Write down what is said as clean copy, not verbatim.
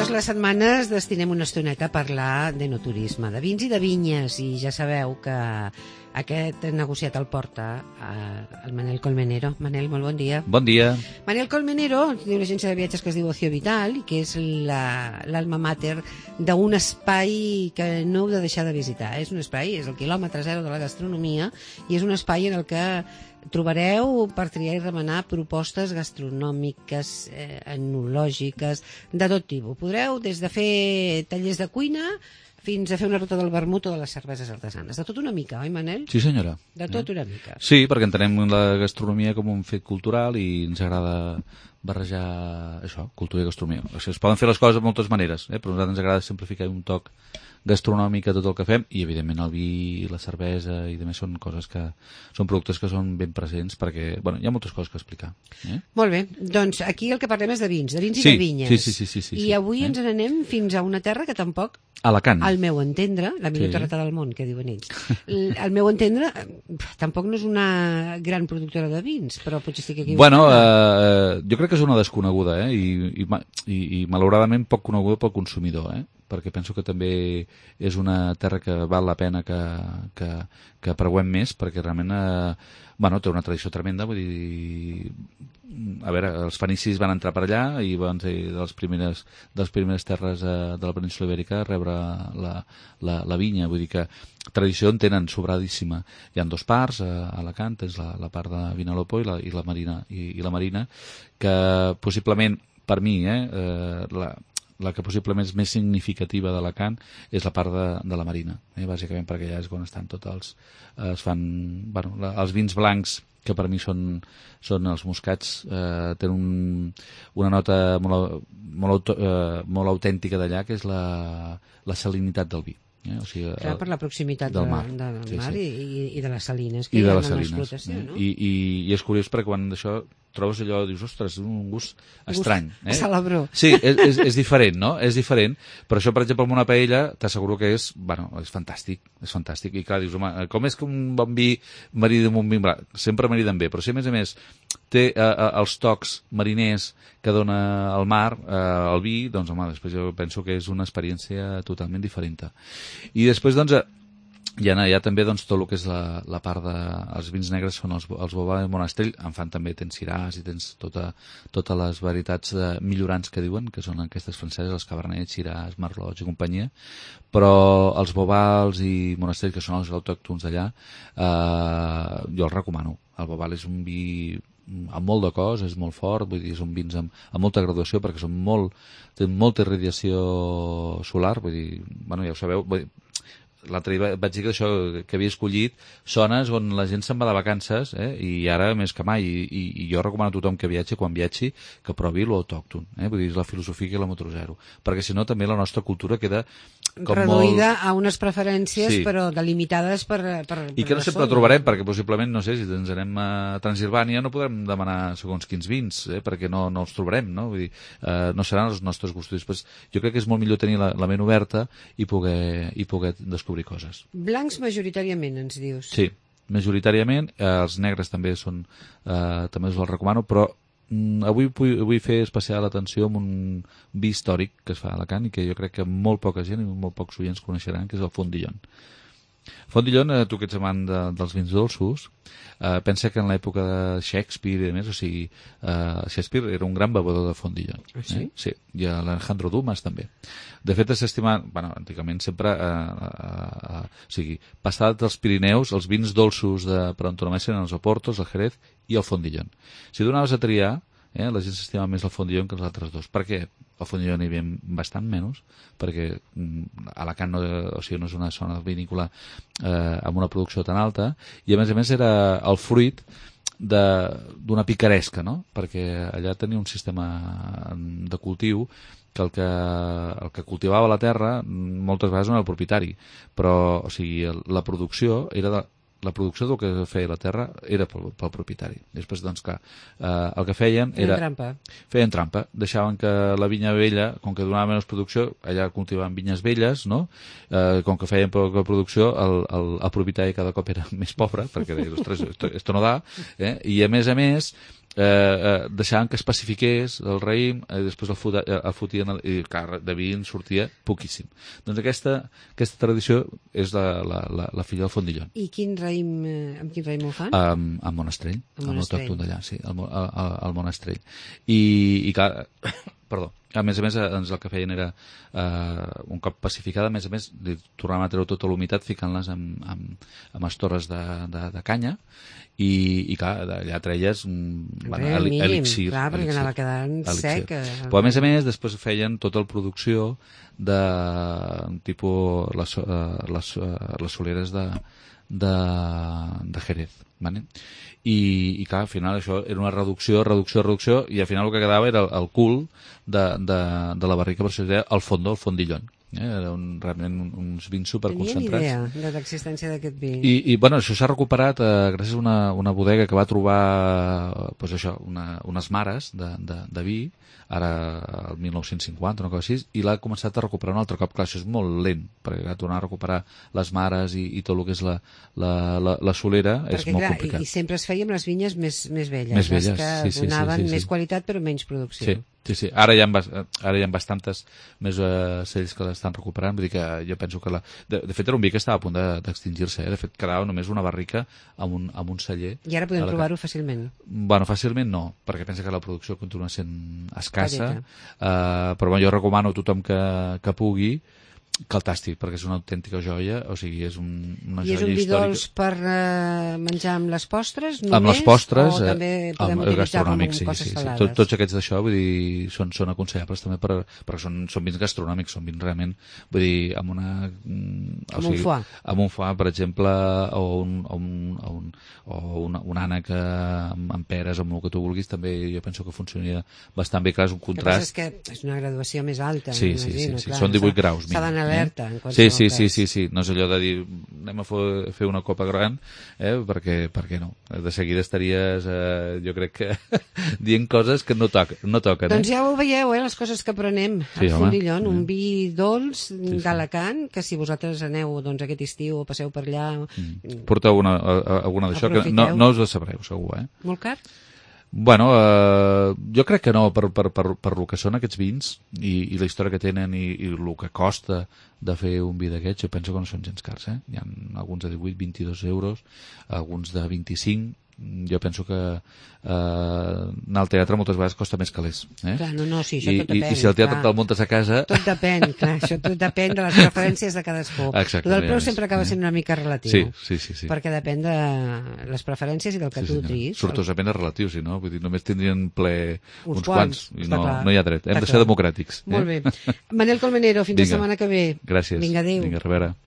totes les setmanes destinem una estoneta a parlar d'enoturisme, de vins i de vinyes, i ja sabeu que aquest negociat el porta el Manel Colmenero. Manel, molt bon dia. Bon dia. Manel Colmenero té una agència de viatges que es diu Ocio Vital i que és l'alma mater d'un espai que no heu de deixar de visitar. És un espai, és el quilòmetre zero de la gastronomia, i és un espai en el que trobareu per triar i remenar propostes gastronòmiques, enològiques, de tot tipus. Podreu des de fer tallers de cuina fins a fer una ruta del vermut o de les cerveses artesanes. De tot una mica, oi, Manel? Sí, senyora. De tot una mica. Sí, perquè entenem la gastronomia com un fet cultural i ens agrada barrejar això, cultura i gastronomia. O sigui, es poden fer les coses de moltes maneres, però a nosaltres ens agrada simplificar un toc gastronòmic a tot el que fem, i evidentment el vi i la cervesa i demés són coses que són productes que són ben presents, perquè bueno, hi ha moltes coses que explicar. Molt bé, doncs aquí el que parlem és de vins i sí, de vinyes. Sí, I avui ens n'anem fins a una terra que tampoc, Alacant. al meu entendre, la millor terreta del món, que diuen ells, al meu entendre, tampoc no és una gran productora de vins, però potser sí que aquí... Bueno, jo crec que és una desconeguda, i malauradament poc coneguda pel consumidor, perquè penso que també és una terra que val la pena que preuem més, perquè realment té una tradició tremenda. Vull dir, a veure, els fenicis van entrar per allà i van ser de les primeres terres de la península Ibèrica a rebre la vinya. Vull dir que tradició en tenen sobradíssima. Hi ha dues parts, a Alacant és la part de Vinalopó i la Marina, que possiblement, per mi, la que possiblement és més significativa d'Alacant és la part de la Marina, bàsicament perquè allà és on estan tots es fan, els vins blancs, que per mi són els moscats, tenen una nota molt autèntica d'allà, que és la salinitat del vi. O sigui, clar, per la proximitat del mar i de les salines que hi ha en l'explotació, no? I és curiós perquè quan això trobes allò, dius, ostres, un gust estrany. Salabró. Sí, és diferent, no? És diferent, però això, per exemple, amb una paella, t'asseguro que és fantàstic, I clar, dius, home, com és que un bon vi marida amb un vi blanc? Sempre mariden bé, però si a més té els tocs mariners que dona el mar, el vi, doncs, home, després jo penso que és una experiència totalment diferent. I després, doncs, hi ha també tot el que és la part dels vins negres, són els Bobà de Monastrell, en fan també, tens Syrah i tens totes les varietats millorants que diuen, que són aquestes franceses, els Cabernet, Syrah, Merlot i companyia, però els Bobals i Monastrell, que són els autòctons d'allà, jo els recomano. El Bobal és un vi amb molt de cos, és molt fort, vull dir, són vins amb molta graduació, perquè tenen molta irradiació solar, vull dir, ja ho sabeu, l'altre dia vaig dir que això que havia escollit zones on la gent se'n va de vacances, i ara més que mai, i jo recomano a tothom que viatgi, quan viatgi, que provi l'autòcton, vull dir, és la filosofia quilòmetre zero, perquè si no també la nostra cultura queda com reduïda a unes preferències, però delimitades per i que no sempre trobarem, perquè possiblement, no sé, si ens anem a Transilvània no podrem demanar segons quins vins, perquè no els trobarem, no? Vull dir, no seran els nostres gustos. Després, jo crec que és molt millor tenir la ment oberta i poder descobrir coses. Blancs majoritàriament, ens dius? Sí, majoritàriament. Els negres també també us els recomano, però avui vull fer especial atenció amb un vi històric que es fa a Alacant i que jo crec que molt poca gent i molt pocs oients coneixeran, que és el Fondillon. Fondillon, tu que ets amant dels vins dolços, pensa que en l'època de Shakespeare i més, o sigui, Shakespeare era un gran bevedor de Fondillon. Sí? Sí, i l'Alejandro Dumas també. De fet, s'estima, antigament sempre, o sigui, passat dels Pirineus, els vins dolços per antonomàsia eren els Oportos, el Jerez i el Fondillon. Si donaves a triar, la gent s'estimava més el Fondillon que els altres dos. Per què? El Fondillon hi havia bastant menys, perquè Alacant no és una zona vinícola amb una producció tan alta, i a més era el fruit d'una picaresca, no? Perquè allà tenia un sistema de cultiu que el que cultivava la terra moltes vegades no era el propietari, però o sigui, la producció era la producció del que feia la terra era pel propietari. Després, doncs, clar, el que feien era... Feien trampa. Deixaven que la vinya vella, com que donava menys producció, allà cultivaven vinyes velles, no? Com que feien poca producció, el propietari cada cop era més pobre, perquè deia, ostres, esto no da, i a més, deixaven que especifiqués el raïm, després el fotien, i clar, de vi en sortia poquíssim. Doncs aquesta tradició és la filla del fondillon. I amb quin raïm ho fan? Amb Monastrell, amb l'autòcton d'allà, sí, al Monastrell. I clar, perdó, a més, doncs el que feien era, un cop pacificada, a més, tornaven a treure tota l'humitat ficant-les amb estores de canya, i clar, d'allà treies elixir. Clar, perquè anava quedant sec. Però a més, després feien tota la producció de tipus les soleres de Jerez, ¿vale? I clar, al final això era una reducció, i al final el que quedava era el cul de la barrica, per això es deia el fondillon. Era realment uns vins superconcentrats. Tenia idea de l'existència d'aquest vi. I bueno, això s'ha recuperat gràcies a una bodega que va trobar pues això, unes mares de vi, ara el 1950 una cosa així, i l'ha començat a recuperar un altre cop. Clar, això és molt lent, perquè tornar a recuperar les mares i tot el que és la solera és molt complicat. I sempre es feia amb les vinyes més velles, més velles, que donaven més qualitat però menys producció. Sí. Ara hi ha bastantes més cells que l'estan recuperant, vull dir que jo penso que de fet era un vi que estava a punt d'extingir-se, de fet quedava només una barrica amb un celler. I ara podem trobar-ho fàcilment? Bueno, fàcilment no, perquè pensa que la producció continua sent escassa, però jo recomano a tothom que pugui que el tasti, perquè és una autèntica joia, o sigui, és una joia històrica. I és un vi dolç per menjar amb les postres només? Amb les postres, o també podem utilitzar-lo amb coses salades? Tots aquests d'això, vull dir, són aconsellables també perquè són vins gastronòmics, són vins realment, vull dir, amb un foie. Amb un foie, per exemple, o un ànec amb peres, amb el que tu vulguis, també jo penso que funcionaria bastant bé. Clar, és un contrast. El que passa és que és una graduació més alta. Sí, són 18 graus. S'ha d'anar alerta en qualsevol cas. Sí, no és allò de dir anem a fer una copa gran, perquè no, de seguida estaries jo crec que dient coses que no toquen. Doncs ja ho veieu, les coses que aprenem al Fondillon, un vi dolç d'Alacant, que si vosaltres aneu aquest estiu o passeu per allà porteu alguna d'això que no us ho sabreu segur. Molt car? Bueno, jo crec que no, per el que són aquests vins i la història que tenen i el que costa de fer un vi d'aquests, jo penso que no són gens cars. Hi ha alguns de 18-22 euros, alguns de 25. Jo penso que anar al teatre moltes vegades costa més calés. Clar, sí, això tot depèn. I si el teatre te'l muntes a casa... Tot depèn, clar, això tot depèn de les preferències de cadascú. Exactament. El preu sempre acaba sent una mica relatiu. Sí. Perquè depèn de les preferències i del que tu triïs. Sortosament és relatiu, si no? Vull dir, només tindrien ple uns quants. I no hi ha dret. Hem de ser democràtics. Molt bé. Manel Colmenero, fins la setmana que ve. Gràcies. Vinga, adéu. Vinga, a reveure.